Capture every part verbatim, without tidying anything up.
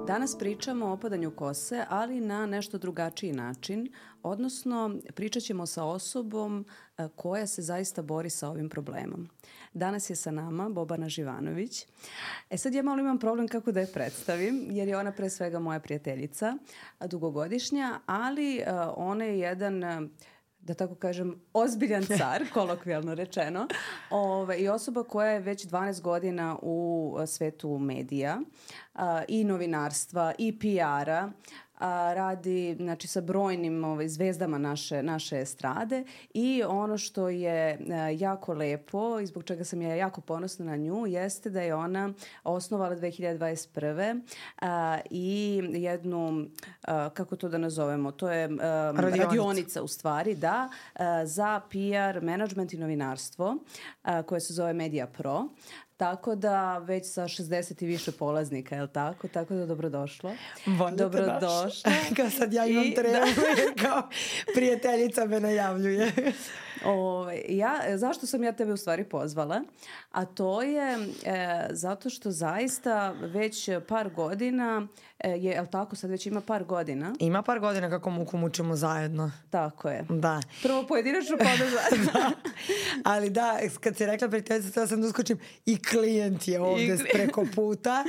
Danas pričamo o opadanju kose, ali na nešto drugačiji način, odnosno pričat ćemo sa osobom koja se zaista bori sa ovim problemom. Danas je sa nama Bobana Živanović. E sad ja malo imam problem kako da je predstavim, jer je ona pre svega moja prijateljica, dugogodišnja, ali ona je jedan, da tako kažem, ozbiljan car, kolokvijalno rečeno, ove, i osoba koja je već dvanaest godina u svetu medija a, i novinarstva i P R-a, a, radi znači, sa brojnim ovaj, zvezdama naše, naše estrade i ono što je a, jako lepo i zbog čega sam ja jako ponosna na nju jeste da je ona osnovala dve hiljade dvadeset prve a, i jednu, a, kako to da nazovemo, to je a, radionica. radionica u stvari, da, a, za P R, management i novinarstvo a, koje se zove Media Pro. Tako da već sa šezdeset i više polaznika, je li tako? Tako da dobrodošlo. Bolje dobrodošla. Kao sad ja imam I, tremu, da. Kao prijateljica me najavljuje. Ove, ja, zašto sam ja tebe u stvari pozvala? A to je e, zato što zaista već par godina, e, je, je li tako, sad već ima par godina? Ima par godina kako muku mučimo zajedno. Tako je. Da. Prvo pojedinačno, pa onda zajedno. Da. Ali da, kad si rekla prijateljica, tada sam da uskočim i klijent je ovde preko puta.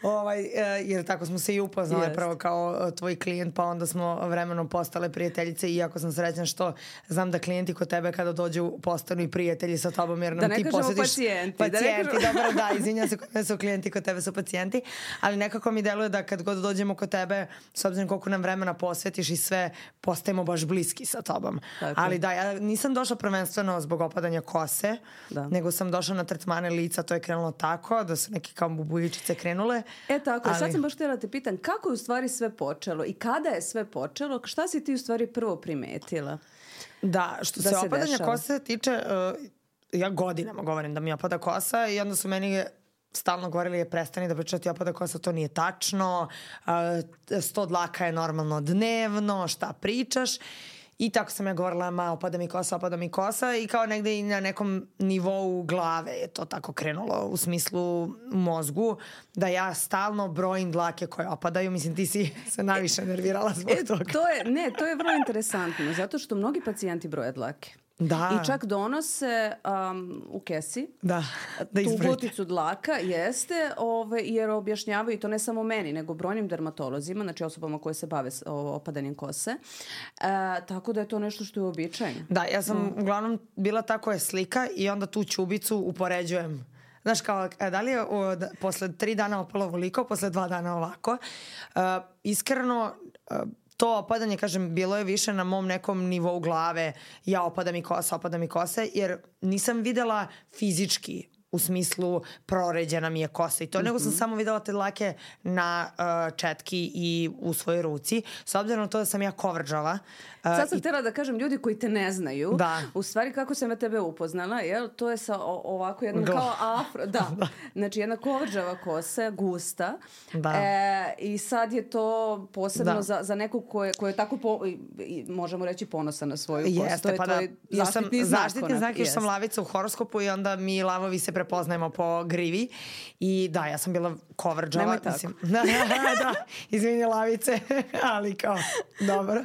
Ovaj, jer tako smo se i upoznali yes. prvo kao tvoj klijent, pa onda smo vremenom postale prijateljice i jako sam srećna što znam da klijenti kod tebe kada dođu postanu i prijatelji sa tobom jer nam da ti posjetiš pacijenti. Pacijenti, da dobro, da, izvinjam se, kod mene su klijenti, kod tebe su pacijenti, ali nekako mi deluje da kad god dođemo kod tebe, s obzirom koliko nam vremena posvetiš i sve, postajemo baš bliski sa tobom. Tako. Ali da, ja nisam došla prvenstveno zbog opadanja kose, da. Nego sam došla na tretmane lica, to je krenulo tako, da su neke kao bubujičice krenule. E tako, ali... sad sam baš htjela te pitan, kako je u stvari sve počelo i kada je sve počelo, šta si ti u stvari prvo primetila? Da, što da se, se opadanja dešava. Kose tiče, uh, ja godinama govorim da mi opada kosa i onda su meni stalno govorili je prestani da pričati opada kosa, to nije tačno, uh, sto dlaka je normalno dnevno, šta pričaš. I tako sam ja govorila, ma opada mi kosa, opada mi kosa i kao negde i na nekom nivou glave je to tako krenulo u smislu mozgu da ja stalno brojim dlake koje opadaju. Mislim, ti si se najviše nervirala zbog e, toga. To je, ne, to je vrlo interesantno zato što mnogi pacijenti broje dlake. Da. I čak donose um, u kesi da, da tu boticu dlaka, jeste, ove, jer objašnjavaju, i to ne samo meni, nego brojnim dermatolozima, znači osobama koje se bave opadanjem kose. E, tako da je to nešto što je uobičajeno. Da, ja sam mm. uglavnom bila ta koja je slika i onda tu ćubicu upoređujem. Znaš, kao, da li je o, da, posle tri dana opalo ovoliko, posle dva dana ovako. Uh, iskreno... Uh, to opadanje, kažem, bilo je više na mom nekom nivou glave, ja opada mi kosa, opada mi kose, jer nisam videla fizički u smislu proređena mi je kosa i to, mm-hmm. nego sam samo videla te dlake na uh, četki i u svojoj ruci. S obzirom na to da sam ja coveragala. Uh, Sad sam i... htjela da kažem ljudi koji te ne znaju, da. U stvari kako sam ja tebe upoznala, jel? To je sa o, ovako jednom Gla. kao afro, da, da. Znači jedna coveragava kosa, gusta. Da. E, I sad je to posebno za, za nekog ko je, ko je tako, po, i, možemo reći, ponosan na svoju kosu. Jeste, to je pa da, ja sam zaštitni znak, jer sam lavica u horoskopu i onda mi lavovi se prepoznajemo po grivi i da, ja sam bila coveragava. Nemoj tako. Mislim, da, da, izvini lavice, ali kao, dobro.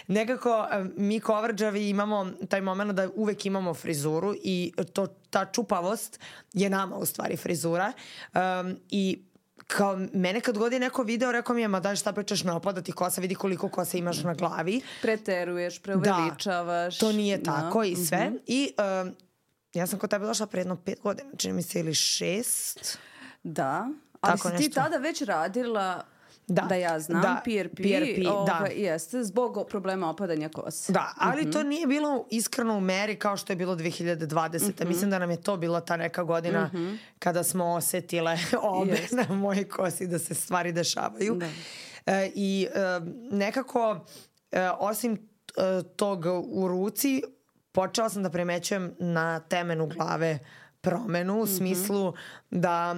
Nekako mi coveragavi imamo taj moment da uvek imamo frizuru i to, ta čupavost je nama u stvari frizura um, i kao mene kad god je neko video rekao mi je ma daj šta pričaš, ne opada ti kosa, vidi koliko kose imaš na glavi. Preteruješ, preuveličavaš. Da, to nije tako no. i sve. Mm-hmm. I um, ja sam kod tebe došla pre jedno pet godina, čini mi se ili šest. Da, ali tako si nešto. ti tada već radila... Da, da ja znam, da, P R P, P R P ove, da. jeste, zbog problema opadanja kose. Da, ali mm-hmm. to nije bilo iskreno u meri kao što je bilo dve hiljade dvadesete. Mm-hmm. Mislim da nam je to bila ta neka godina mm-hmm. kada smo osetile obe yes. na mojoj kosi da se stvari dešavaju. Da. E, I e, nekako, e, osim e, tog u ruci, počela sam da primećujem na temenu glave promenu u mm-hmm. smislu da...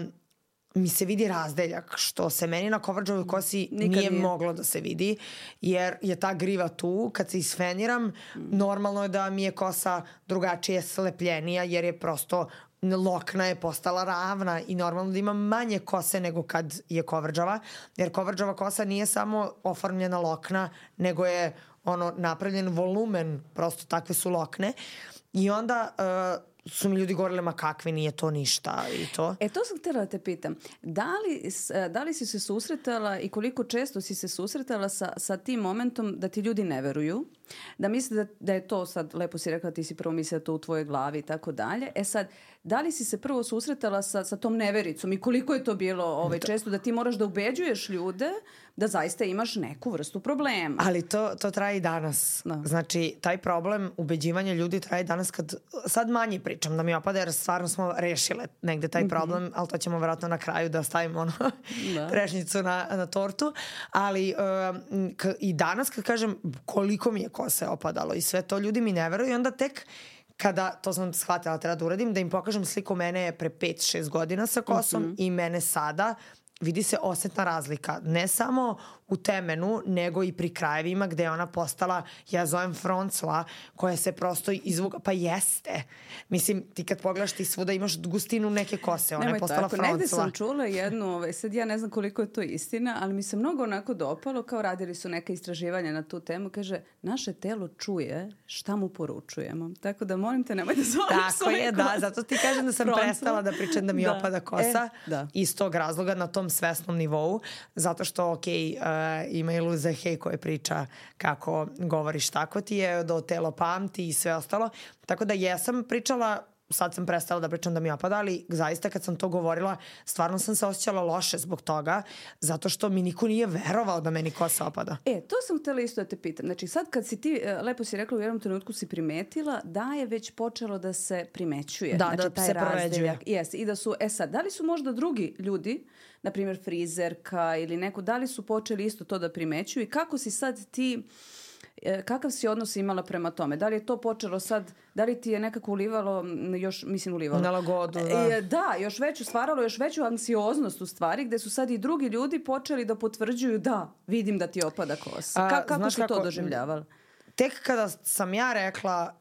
mi se vidi razdeljak, što se meni na coveragavoj kosi Nikad nije, nije moglo da se vidi, jer je ta griva tu. Kad se isfeniram, mm. normalno je da mi je kosa drugačije slepljenija, jer je prosto lokna je postala ravna i normalno da ima manje kose nego kad je kovrđava, jer kovrđava kosa nije samo oformljena lokna, nego je ono napravljen volumen, prosto takve su lokne. I onda uh, su mi ljudi govorili, ma kakve, nije to ništa i to. E, to sam htjela da te pitam. Da li, da li si se susretala i koliko često si se susretala sa, sa tim momentom da ti ljudi ne veruju? Da misli da, da je to sad, lepo si rekla, ti si prvo mislila to u tvojoj glavi i tako dalje. E sad, da li si se prvo susretala sa, sa tom nevericom i koliko je to bilo ovaj, često da ti moraš da ubeđuješ ljude da zaista imaš neku vrstu problema? Ali to, to traje i danas. Da. Znači, taj problem ubeđivanja ljudi traje danas kad, sad manje pričam da mi opada jer stvarno smo rešile negde taj problem, mm-hmm. ali to ćemo vjerojatno na kraju da stavimo ono da. trešnjicu na, na tortu. Ali um, k- i danas kad kažem koliko mi je kose opadalo i sve to, ljudi mi ne veruju i onda tek kada, to sam shvatila treba da uradim, da im pokažem sliku mene pre pet šest godina sa kosom mm-hmm. i mene sada, vidi se osetna razlika. Ne samo u temenu, nego i pri krajevima gde je ona postala, ja zovem froncla, koja se prosto izvuga, pa jeste. Mislim, ti kad pogledaš ti svuda imaš gustinu neke kose, ona Nemoj je postala tako. Froncla. Negde sam čula jednu, ovaj, sad ja ne znam koliko je to istina, ali mi se mnogo onako dopalo, kao radili su neke istraživanja na tu temu, kaže, naše telo čuje šta mu poručujemo. Tako da molim te, nemoj da zoveš Tako je, kosa. da, zato ti kažem da sam Froncla. prestala da pričam da mi da. opada kosa e, da. iz tog razloga na tom svesnom nivou, zato što, ok, uh, ima i Luza Hay koja priča kako govoriš tako ti je, do telo pamti i sve ostalo. Tako da jesam pričala, sad sam prestala da pričam da mi opada, ali zaista kad sam to govorila, stvarno sam se osjećala loše zbog toga, zato što mi niko nije verovao da meni kosa opada. E, to sam htjela isto da te pitam. Znači sad kad si ti, lepo si rekla, u jednom trenutku si primetila da je već počelo da se primećuje. Da, znači, da taj se proređuje. Yes, i da su, e sad, da li su možda drugi ljudi, na primjer frizerka ili neko, da li su počeli isto to da primećuju i kako si sad ti, kakav si odnos imala prema tome? Da li je to počelo sad, da li ti je nekako ulivalo, još, mislim ulivalo? Na lagodu, da. E, da, još veću, stvaralo još veću anksioznost u stvari, gde su sad i drugi ljudi počeli da potvrđuju da, vidim da ti opada kosa. Ka, kako su kako, to doživljavali? Tek kada sam ja rekla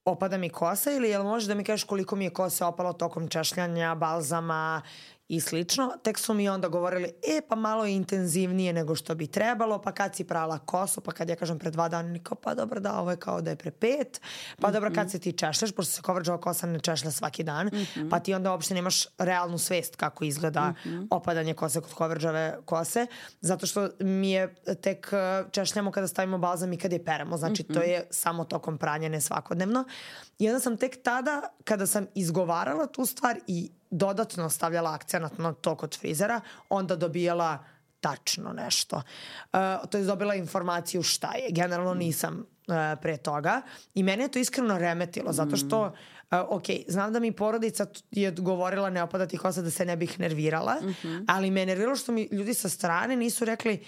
opada mi kosa ili jel možeš da mi kažeš koliko mi je kose opalo tokom češljanja, balzama i slično, tek su mi onda govorili, e pa malo je intenzivnije nego što bi trebalo, pa kad si prala kosu, pa kad ja kažem pre dva dana, niko, pa dobro da, ovo je kao da je pre pet, pa mm-hmm. dobro kad se ti češljaš, pošto se kovrđava kosa ne češlja svaki dan, mm-hmm. pa ti onda uopšte nemaš realnu svest kako izgleda mm-hmm. opadanje kose kod kovrđave kose, zato što mi je tek češljamo kada stavimo balzam i kada je peremo, znači mm-hmm. to je samo tokom pranja, ne svakodnevno. I onda sam tek tada, kada sam izgovarala tu stvar i dodatno stavljala akcenat na to kod frizera, onda dobijala tačno nešto. Uh, to je dobila informaciju šta je. Generalno nisam uh, pre toga. I mene je to iskreno remetilo, zato što, uh, ok, znam da mi porodica je govorila ne opada ti kosa da se ne bih nervirala, mm-hmm. ali me nerviralo što mi ljudi sa strane nisu rekli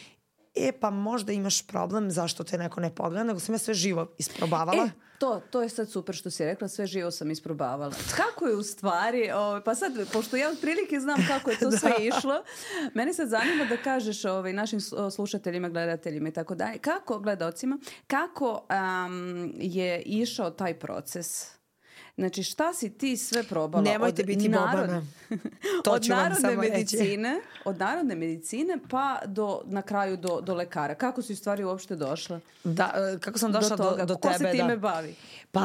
e pa možda imaš problem zašto te neko ne pogleda, nego sam ja sve živo isprobavala. E, to, to je sad super što si rekla, sve živo sam isprobavala. Kako je u stvari, o, pa sad, pošto ja otprilike znam kako je to sve išlo, mene sad zanima da kažeš ovaj, našim slušateljima, gledateljima i tako dalje, kako, gledalcima, kako um, je išao taj proces? Znači, šta si ti sve probala? Nemojte od biti narod... bobana. To od ću vam narodne samo medicine, reći. Od narodne medicine pa do, na kraju do, do lekara. Kako si u stvari uopšte došla? Da, kako sam došla do, do, do tebe? Ko se time da. bavi? Pa,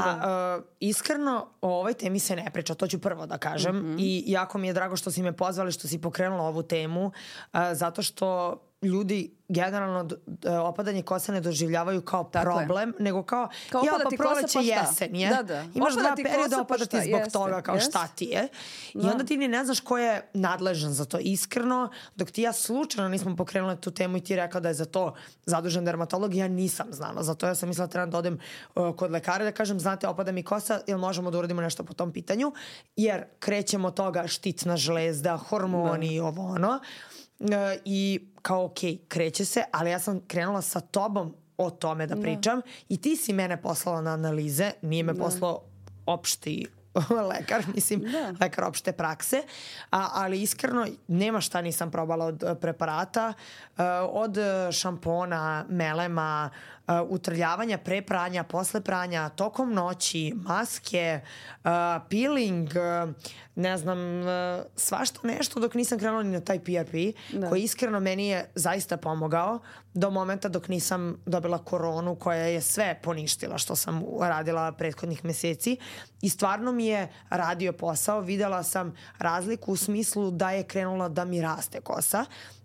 uh, iskreno, o ovoj temi se ne priča, to ću prvo da kažem. Mm-hmm. I jako mi je drago što si me pozvali, što si pokrenula ovu temu, uh, zato što ljudi generalno d- opadanje kose ne doživljavaju kao tako problem, je. Nego kao, kao ja pa proleće jesen je. Da, da. Imaš opada dva perioda, opada ti zbog jeste, toga kao jeste. šta ti je. I da. onda ti ni ne znaš ko je nadležan za to. Iskreno, dok ti ja slučajno nismo pokrenuli tu temu i ti rekao da je za to zadužen dermatolog, ja nisam znala. Zato ja sam mislila treba da odem uh, kod lekara da kažem, znate, opada mi kosa, jel možemo da uradimo nešto po tom pitanju? Jer krećemo toga štitna žlezda, hormoni i ovo ono. Uh, i kao ok, kreće se, ali ja sam krenula sa tobom o tome da pričam, da. I ti si mene poslala na analize, nije me da. Poslao opšti lekar, mislim, da. Lekar opšte prakse, a, ali iskreno nema šta nisam probala od preparata, uh, od šampona, melema, utrljavanja pre pranja, posle pranja, tokom noći, maske, uh, peeling, uh, ne znam, uh, svašta nešto dok nisam krenula ni na taj P R P, da. Koji iskreno meni je zaista pomogao do momenta dok nisam dobila koronu koja je sve poništila što sam radila prethodnih meseci i stvarno mi je radio posao, videla sam razliku u smislu da je krenula da mi raste kosa,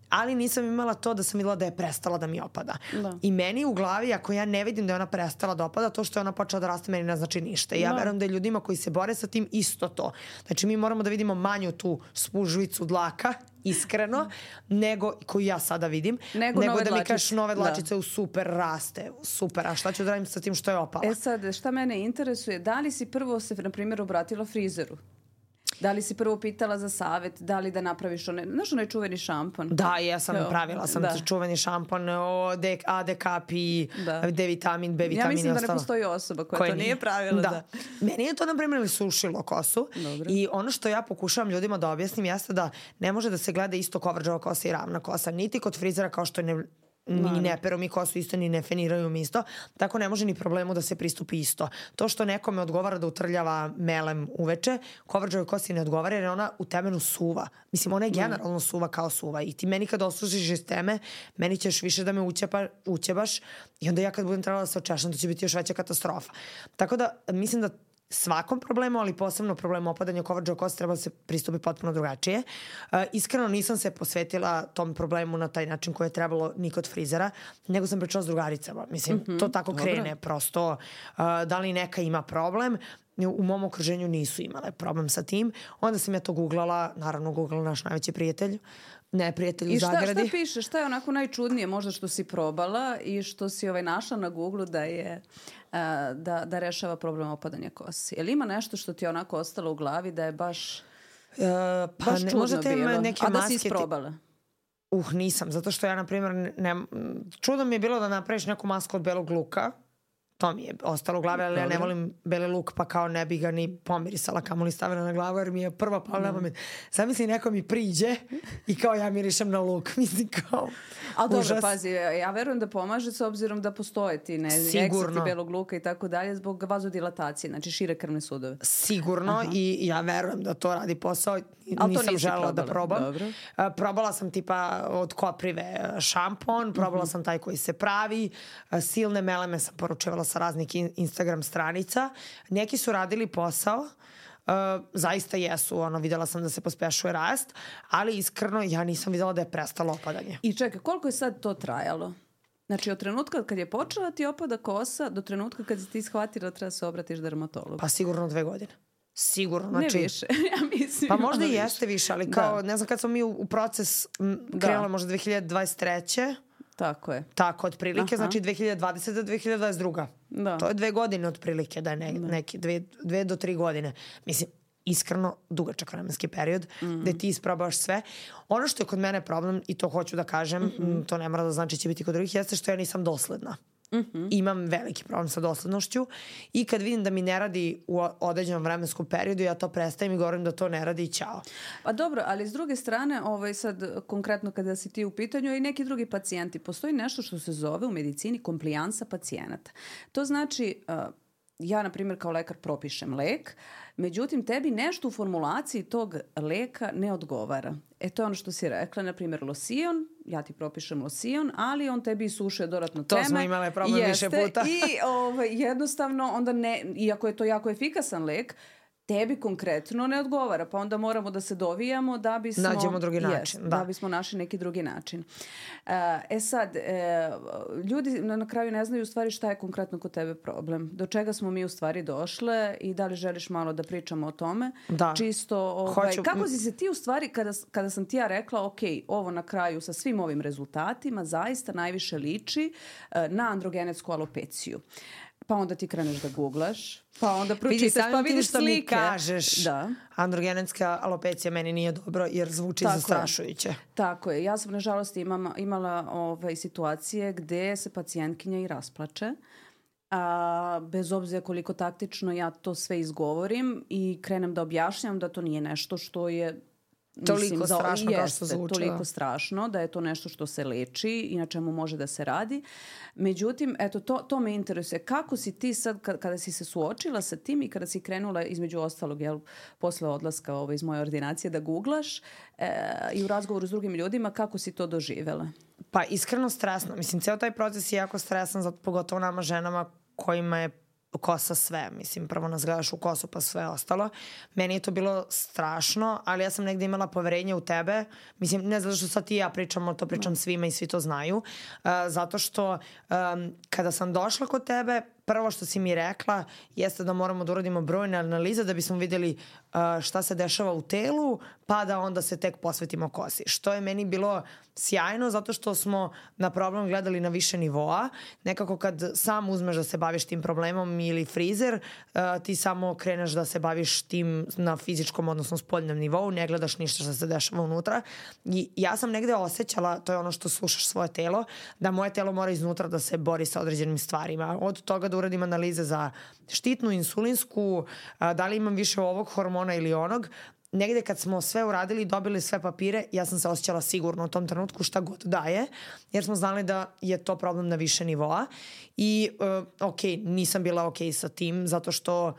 ali nisam imala to da sam videla da je prestala da mi opada. Da. I meni u glavi, ako ja ne vidim da je ona prestala da opada, to što je ona počela da raste meni ne znači ništa. I ja da. verujem da je ljudima koji se bore sa tim isto to. Znači mi moramo da vidimo manju tu spužvicu dlaka, iskreno, nego, koju ja sada vidim, nego, nego da mi kažeš nove dlačice da. u super raste, super, a šta ću da radim sa tim što je opala? E sad, šta mene interesuje, da li si prvo se, na primjer, obratila frizeru? Da li si prvo pitala za savjet, da li da napraviš onaj, znaš onaj čuveni šampon? Da, ja sam jo, pravila sam da. čuveni šampon o A D K P, da. D vitamin, B vitamin. Ja mislim da ne postoji osoba koja, koja to nije, nije pravila. Da. da. Meni je to, na primjer, sušilo kosu. Dobro. I ono što ja pokušavam ljudima da objasnim jeste da ne može da se gleda isto kovrđava kosa i ravna kosa. Niti kod frizera kao što je ne... ni ne peru mi kosu isto, ni ne feniraju mi isto. Tako ne može ni problemu da se pristupi isto. To što nekome odgovara da utrljava melem uveče, kovrđavoj kosi ne odgovara jer ona u temenu suva. Mislim, ona je generalno suva kao suva. I ti meni kad osušiš iz teme, meni ćeš više da me ućepa, ućebaš i onda ja kad budem trebala da se očešam, to će biti još veća katastrofa. Tako da mislim da svakom problemu, ali posebno problemu opadanja kovrđava kosa treba da se pristupi potpuno drugačije. Uh, iskreno nisam se posvetila tom problemu na taj način koji je trebalo ni kod frizera, nego sam pričala s drugaricama. Mislim, mm-hmm, to tako dobro. krene. Prosto, uh, da li neka ima problem, u mom okruženju nisu imale problem sa tim. Onda sam ja to googlala, naravno googlala naš najveći prijatelj, ne prijatelj u Zagradi. I šta, šta piše? Šta je onako najčudnije možda što si probala i što si ovaj našla na Googlu da je uh, da, da rešava problem opadanja kosi? Je li ima nešto što ti je onako ostalo u glavi da je baš, uh, pa baš ne, čudno bilo? Neke a da si isprobala? Ti... Uh, nisam. Zato što ja, na primjer, ne, čudno mi je bilo da napraviš neku masku od belog luka. To mi je ostalo u glavi, ali ja ne volim beli luk, pa kao ne bi ga ni pomirisala, kamo li stavila na glavu, jer mi je prva pala na pamet. Sad mislim, neko mi priđe i kao ja mirišem na luk. Mislim kao ali dobro, užas. Pazi, ja verujem da pomaže s obzirom da postoje ti ne, eksekti belog luka i tako dalje zbog vazodilatacije, znači šire krvne sudove. Sigurno. Aha. I ja verujem da to radi posao. Nisam želela da probam. Dobro. Probala sam tipa od Koprive šampon, probala uh-huh. sam taj koji se pravi, silne meleme sam poručevala sa raznih Instagram stranica. Neki su radili posao, uh, zaista jesu, ono, videla sam da se pospešuje rast, ali iskreno ja nisam videla da je prestalo opadanje. I čekaj, koliko je sad to trajalo? Znači od trenutka kad je počela ti opada kosa do trenutka kad si ti shvatila da treba se obratiš dermatologu? Pa sigurno dve godine. Sigurno, znači... Ne više, ja mislim. Pa možda i jeste više, ali kao, da. ne znam, kad smo mi u, u proces krenula možda dve hiljade dvadeset treće Tako je. Tako, otprilike, znači dve hiljade dvadeseta do dve hiljade dvadeset druga Da. To je dve godine otprilike, da je ne, da. neki, dve, dve do tri godine. Mislim, iskreno dugačak vremenski period mm-hmm. gde ti isprobaš sve. Ono što je kod mene problem, i to hoću da kažem, mm-hmm. to ne mora da znači će biti kod drugih, jeste što ja nisam dosledna. Mm-hmm. Imam veliki problem sa doslednošću i kad vidim da mi ne radi u određenom vremenskom periodu, ja to prestajem i govorim da to ne radi i ćao. Pa dobro, ali s druge strane, ovaj sad konkretno kada si ti u pitanju i neki drugi pacijenti, postoji nešto što se zove u medicini komplijansa pacijenata. To znači, uh, ja na primjer kao lekar propišem lek, međutim tebi nešto u formulaciji tog leka ne odgovara. E to je ono što si rekla, na primjer losion, ja ti propišem losion, ali on tebi isušuje dodatno teme. To smo imale problem jeste, više puta. I ovaj, jednostavno, onda ne, iako je to jako efikasan lek, tebi konkretno ne odgovara, pa onda moramo da se dovijamo da bismo... Nađemo drugi način. Jest, da. da bismo našli neki drugi način. E sad, e, ljudi na kraju ne znaju u stvari šta je konkretno kod tebe problem. Do čega smo mi u stvari došle i da li želiš malo da pričamo o tome? Da. Čisto, ovaj, Hoću... kako si se ti u stvari, kada, kada sam ti ja rekla, ok, ovo na kraju sa svim ovim rezultatima zaista najviše liči uh, na androgenetsku alopeciju. Pa onda ti kreneš da googlaš, pa onda pročitaš, pa vidiš slike. Mi kažeš, da. Androgenetska alopecija meni nije dobro jer zvuči Tako zastrašujuće. Je. Tako je. Ja sam nažalost imam, imala ove situacije gde se pacijentkinja i rasplače. A, bez obzira koliko taktično ja to sve izgovorim i krenem da objašnjam da to nije nešto što je Toliko mislim, strašno za, kao što jeste, zvuči. Toliko da. strašno da je to nešto što se leči i na čemu može da se radi. Međutim, eto, to, to me interesuje. Kako si ti sad, kada si se suočila sa tim i kada si krenula između ostalog, jel, posle odlaska ovo, iz moje ordinacije da googlaš e, i u razgovoru s drugim ljudima, kako si to doživela? Pa iskreno stresno. Mislim, ceo taj proces je jako stresan, zato pogotovo nama ženama kojima je kosa sve. Mislim, prvo nas gledaš u kosu pa sve ostalo. Meni je to bilo strašno, ali ja sam negde imala poverenje u tebe. Mislim, ne zato što sad ti i ja pričamo, to pričam svima i svi to znaju. Uh, zato što um, kada sam došla kod tebe, prvo što si mi rekla jeste da moramo da uradimo brojne analize da bismo vidjeli uh, šta se dešava u telu, pa da onda se tek posvetimo kosi. Što je meni bilo sjajno zato što smo na problem gledali na više nivoa. Nekako kad sam uzmeš da se baviš tim problemom ili frizer, uh, ti samo kreneš da se baviš tim na fizičkom, odnosno spoljnom nivou, ne gledaš ništa što se dešava unutra. I ja sam negde osjećala, to je ono što slušaš svoje telo, da moje telo mora iznutra da se bori sa određenim stvarima. Od toga da uradim analize za štitnu, insulinsku, da li imam više ovog hormona ili onog. Negde kad smo sve uradili i dobili sve papire, ja sam se osjećala sigurno u tom trenutku šta god daje, jer smo znali da je to problem na više nivoa. I uh, ok, nisam bila ok sa tim, zato što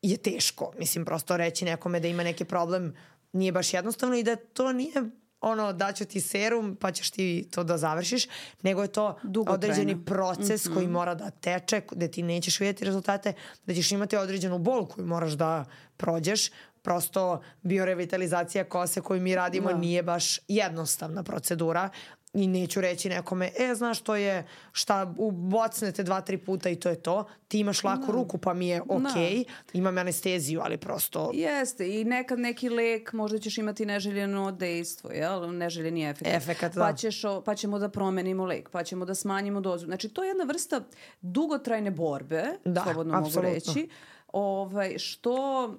je teško. Mislim, prosto reći nekome da ima neki problem nije baš jednostavno i da to nije ono, daću ti serum pa ćeš ti to da završiš, nego je to određeni proces mm-hmm. koji mora da teče, gde ti nećeš vidjeti rezultate, da ćeš imati određenu bol koju moraš da prođeš. Prosto biorevitalizacija kose koju mi radimo no. nije baš jednostavna procedura i neću reći nekome, e, znaš, to je šta, ubocnete dva, tri puta i to je to. Ti imaš laku no. ruku pa mi je okej, okay. no. imam anesteziju, ali prosto... Jeste, i nekad neki lek, možda ćeš imati neželjeno dejstvo, jel? Neželjeni efekt. Efekat, da. Pa, ćeš, pa ćemo da promenimo lek, pa ćemo da smanjimo dozu. Znači, to je jedna vrsta dugotrajne borbe, da, slobodno apsolutno. mogu reći. Ovaj, što,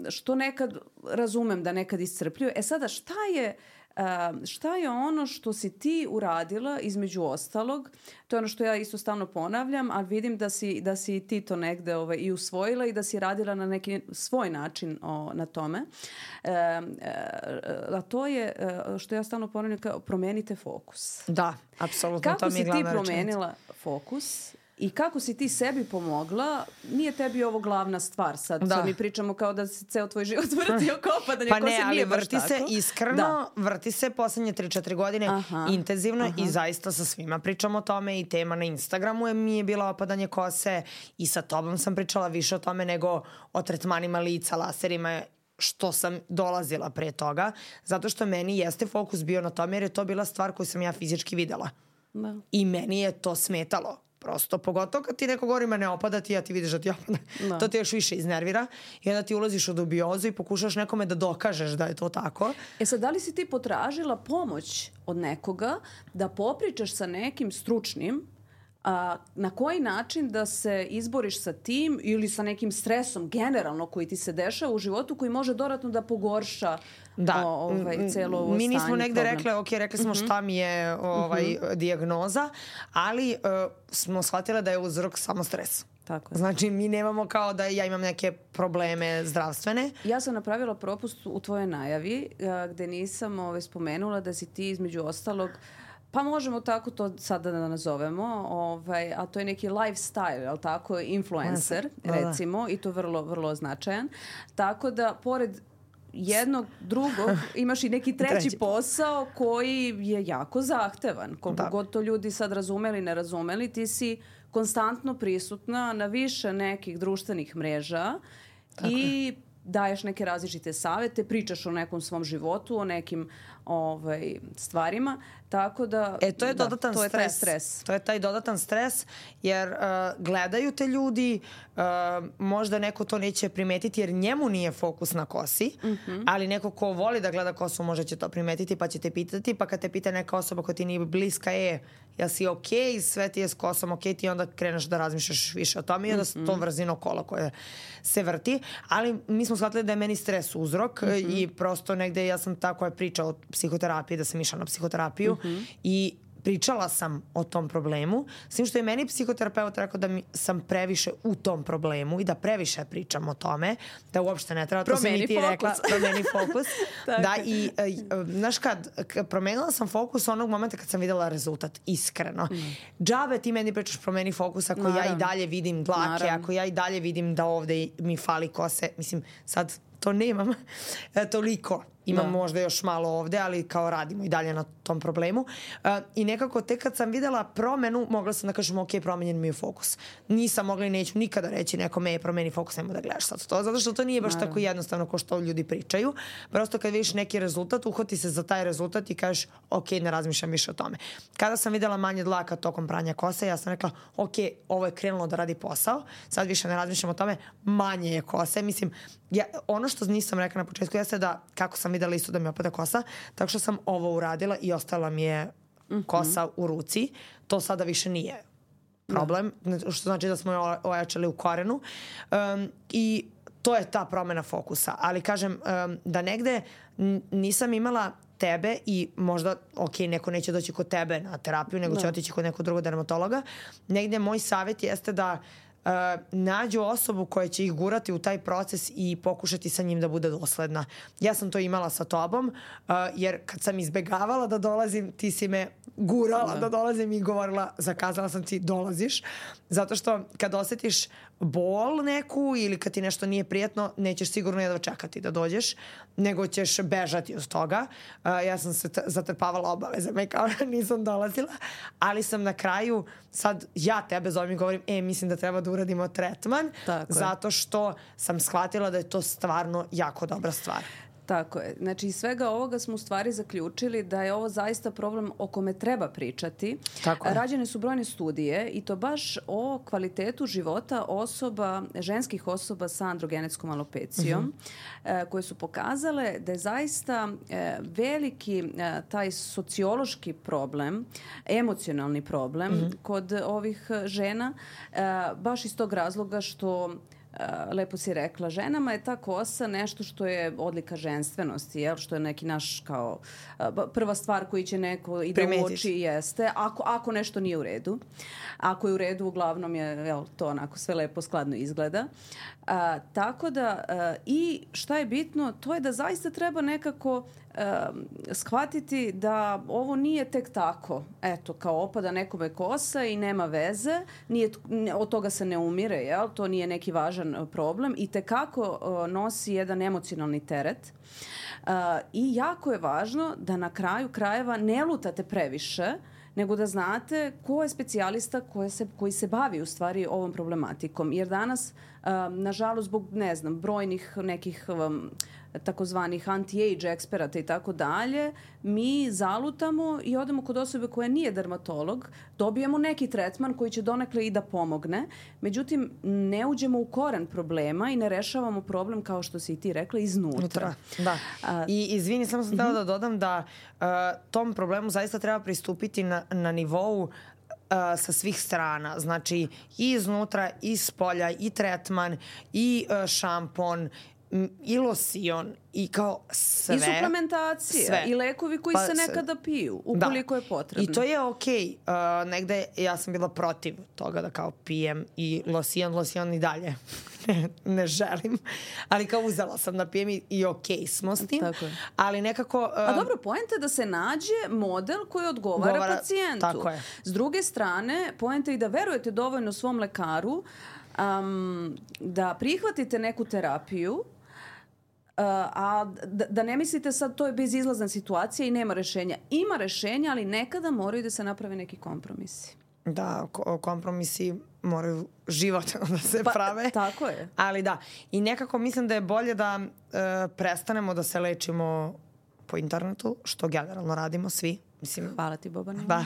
što nekad razumem da nekad iscrpljuju. E sada, šta je, šta je ono što si ti uradila između ostalog? To je ono što ja isto stalno ponavljam, ali vidim da si, da si ti to negde ovaj, i usvojila i da si radila na neki svoj način o, na tome. E, a to je, što ja stalno ponavljam, kao promenite fokus. Da, apsolutno. Kako to mi je glavna si ti promenila rečenica. Fokus? I kako si ti sebi pomogla, nije tebi ovo glavna stvar sad. Da. Sad mi pričamo kao da se ceo tvoj život vrti oko opadanja pa kose, ne, ali nije baš vrti tako. se iskreno, da. vrti se poslednje tri četiri godine aha, intenzivno aha. i zaista sa svima pričamo o tome i tema na Instagramu je mi je bila opadanje kose i sa tobom sam pričala više o tome nego o tretmanima lica, laserima, što sam dolazila pre toga, zato što meni jeste fokus bio na tome jer je to bila stvar koju sam ja fizički videla. Da. I meni je to smetalo. Prosto, pogotovo kad ti neko govori ma ne opada ti, a ti vidiš da ti opada. No. To ti još više iznervira i onda ti ulaziš u dubiozu i pokušaš nekome da dokažeš da je to tako. E sad, da li si ti potražila pomoć od nekoga da popričaš sa nekim stručnim a, na koji način da se izboriš sa tim ili sa nekim stresom generalno koji ti se dešava u životu koji može dodatno da pogorša da. o, ovaj, celo ovo mi nismo stanje, negde problem. rekle, ok, rekli smo uh-huh. šta mi je ovaj, uh-huh. dijagnoza, ali uh, smo shvatile da je uzrok samo stres. Tako je. Znači, mi nemamo kao da ja imam neke probleme zdravstvene. Ja sam napravila propust u tvojoj najavi gde nisam ovaj, spomenula da si ti između ostalog pa možemo tako to sada da nazovemo, ovaj, a to je neki lifestyle, ali tako, influencer, recimo, i to vrlo, vrlo značajan. Tako da, pored jednog, drugog, imaš i neki treći, treći posao koji je jako zahtevan. Koliko da. God to ljudi sad razumeli, ne razumeli, ti si konstantno prisutna na više nekih društvenih mreža tako i je. Daješ neke različite savete, pričaš o nekom svom životu, o nekim ovaj, stvarima, tako da e, to je dodatan da, to stres. je taj stres. To je taj dodatan stres, jer uh, gledaju te ljudi, uh, možda neko to neće primetiti jer njemu nije fokus na kosi, mm-hmm. ali neko ko voli da gleda kosu možda će to primetiti pa će te pitati, pa kad te pita neka osoba koja ti nije bliska, je, ja si okej, sve ti je s kosom okej, ti onda kreneš da razmišljaš više o tome i onda mm-hmm. to vrzino kola koje se vrti, ali mi smo shvatili da je meni stres uzrok mm-hmm. i prosto negde ja sam ta koja priča o psihoterapiji, da sam išla na psihoterapiju mm-hmm. i pričala sam o tom problemu, s tim što je meni psihoterapeut rekao da mi sam previše u tom problemu i da previše pričam o tome, da uopšte ne treba, to si mi ti rekla, promeni fokus. Da, i znaš kad, promenila sam fokus onog momenta kad sam videla rezultat, iskreno. Mm. Džabe ti meni pričaš promeni fokus ako Naravno. ja i dalje vidim dlake, Naravno. ako ja i dalje vidim da ovde mi fali kose, mislim sad to nemam e, toliko. Imam da. možda još malo ovde, ali kao radimo i dalje na tom problemu. Uh, I nekako tek kad sam videla promenu, mogla sam da kažem ok, promenjen mi je fokus. Nisam mogla i neću nikada reći nekome je promeni fokus, nemoj da gledaš sad to, zato što to nije baš Naravno. tako jednostavno kao što ljudi pričaju. Prosto kad vidiš neki rezultat, uhvati se za taj rezultat i kažeš ok, ne razmišljam više o tome. Kada sam videla manje dlaka tokom pranja kose, ja sam rekla ok, ovo je krenulo da radi posao, sad više ne razmišljam o tome, manje je kose. Mislim, ja, ono što nisam rekla na početku jeste da kako sam videla isto da mi opada kosa, tako što sam ovo uradila i ostala mi je kosa u ruci. To sada više nije problem, što znači da smo je ojačali u korenu. Um, I to je ta promena fokusa. Ali kažem, um, da negde nisam imala tebe i možda, ok, neko neće doći kod tebe na terapiju, nego će otići kod nekog drugog dermatologa. Negde moj savjet jeste da Uh, nađu osobu koja će ih gurati u taj proces i pokušati sa njim da bude dosledna. Ja sam to imala sa tobom, uh, jer kad sam izbegavala da dolazim, ti si me gurala da, da dolazim i govorila, zakazala sam ti, dolaziš. Zato što kad osjetiš bol neku ili kad ti nešto nije prijatno, nećeš sigurno jedva čekati da dođeš, nego ćeš bežati od toga. Uh, ja sam se zatrpavala obavezama i kao nisam dolazila, ali sam na kraju, sad ja tebe zovem i govorim, e, mislim da treba da uradimo tretman, Tako zato što sam shvatila da je to stvarno jako dobra stvar. Tako je. Znači, iz svega ovoga smo u stvari zaključili da je ovo zaista problem o kome treba pričati. Tako je. Rađene su brojne studije i to baš o kvalitetu života osoba, ženskih osoba sa androgenetskom alopecijom, uh-huh. koje su pokazale da je zaista veliki taj sociološki problem, emocionalni problem uh-huh. kod ovih žena, baš iz tog razloga što lepo si rekla, ženama je ta kosa nešto što je odlika ženstvenosti, jel? Što je neki naš kao prva stvar koji će neko i da uoči jeste, ako, ako nešto nije u redu. Ako je u redu, uglavnom je jel, to onako sve lepo skladno izgleda. A, tako da a, i šta je bitno, to je da zaista treba nekako a, shvatiti da ovo nije tek tako, eto, kao opada nekome kosa i nema veze, nije, od toga se ne umire, jel? To nije neki važan problem i tekako a, nosi jedan emocionalni teret. Uh, i jako je važno da na kraju krajeva ne lutate previše, nego da znate ko je specijalista koji se, koji se bavi u stvari ovom problematikom. Jer danas, uh, nažalost, zbog, ne znam, brojnih nekih um, takozvanih anti-age eksperata i tako dalje, mi zalutamo i odemo kod osobe koja nije dermatolog, dobijemo neki tretman koji će donekle i da pomogne, međutim ne uđemo u koren problema i ne rešavamo problem, kao što si i ti rekla, iznutra. Da. A, I izvini, samo sam htela uh-huh. da dodam da uh, tom problemu zaista treba pristupiti na, na nivou uh, sa svih strana. Znači i iznutra, i spolja, i tretman, i uh, šampon, i losion i kao sve. I suplementacije sve. I lekovi koji pa, se nekada piju ukoliko da. je potrebno. I to je okej. Okay. Uh, negde ja sam bila protiv toga da kao pijem i losion, losion i dalje. ne, ne želim. Ali kao uzela sam da pijem i, i okej okay smo s tim. Ali nekako... Uh, A dobro, poenta je da se nađe model koji odgovara govara, pacijentu. Tako je. S druge strane, poenta je i da verujete dovoljno svom lekaru um, da prihvatite neku terapiju, Uh, a da, da ne mislite sad to je bezizlazna situacija i nema rešenja. Ima rešenja, ali nekada moraju da se naprave neki kompromisi. Da, kompromisi moraju život da se pa, prave. Tako je. Ali da, i nekako mislim da je bolje da uh, prestanemo da se lečimo po internetu, što generalno radimo svi. Mislim, hvala ti, Bobana. Da.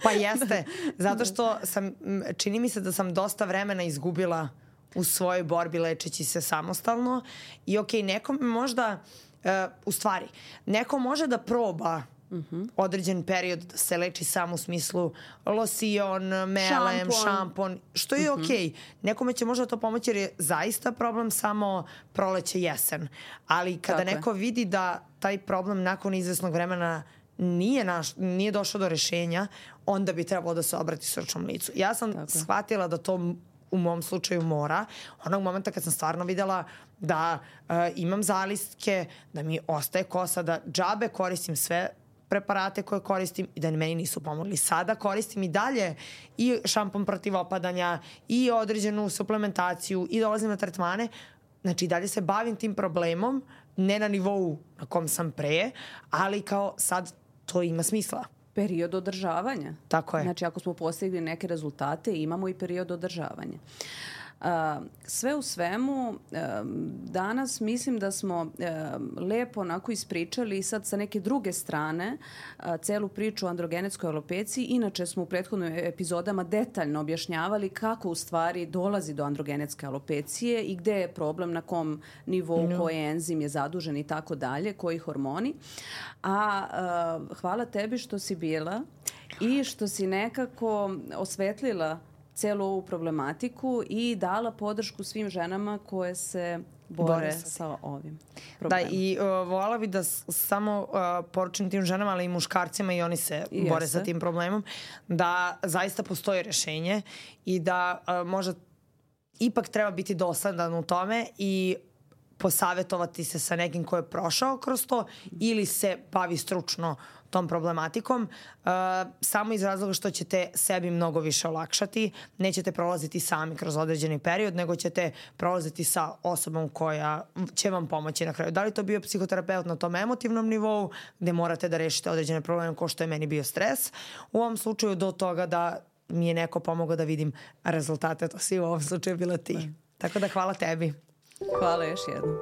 Pa jeste. Zato što sam, čini mi se da sam dosta vremena izgubila u svojoj borbi lečeći se samostalno i okej, okay, nekom možda, uh, u stvari, neko može da proba uh-huh. određen period da se leči samo u smislu losion, melem, šampon, šampon što je uh-huh. okej. Okay. Nekome će možda to pomoći jer je zaista problem samo proleće, jesen. Ali kada Tako neko je. vidi da taj problem nakon izvesnog vremena nije, naš, nije došao do rešenja, onda bi trebalo da se obrati stručnom licu. Ja sam Tako. shvatila da to u mom slučaju mora. Onog momenta kad sam stvarno videla da uh, imam zalistke, da mi ostaje kosa, da džabe koristim sve preparate koje koristim i da meni nisu pomogli. Sada koristim i dalje i šampon protiv opadanja i određenu suplementaciju i dolazim na tretmane. Znači dalje se bavim tim problemom, ne na nivou na kom sam pre, ali kao sad to ima smisla. Period održavanja. Tako je. Znači ako smo postigli neke rezultate, imamo i period održavanja. Uh, sve u svemu, uh, danas mislim da smo uh, lepo onako ispričali sad sa neke druge strane uh, celu priču o androgenetskoj alopeciji. Inače smo u prethodnim epizodama detaljno objašnjavali kako u stvari dolazi do androgenetske alopecije i gde je problem, na kom nivou, no. koji enzim je zadužen i tako dalje, koji hormoni. A uh, hvala tebi što si bila i što si nekako osvetlila celu ovu problematiku i dala podršku svim ženama koje se bore, bore sa ovim problemom. Da, i uh, voljela bi da s- samo uh, poručim tim ženama, ali i muškarcima, i oni se I bore jeste. sa tim problemom, da zaista postoji rešenje i da uh, možda ipak treba biti dosadan u tome i posavetovati se sa nekim ko je prošao kroz to ili se bavi stručno tom problematikom, uh, samo iz razloga što ćete sebi mnogo više olakšati. Nećete prolaziti sami kroz određeni period, nego ćete prolaziti sa osobom koja će vam pomoći na kraju. Da li to bio psihoterapeut na tom emotivnom nivou, gde morate da rešite određene probleme kao što je meni bio stres. U ovom slučaju do toga da mi je neko pomogao da vidim rezultate, to si u ovom slučaju bila ti. Da. Tako da hvala tebi. Hvala još jednom.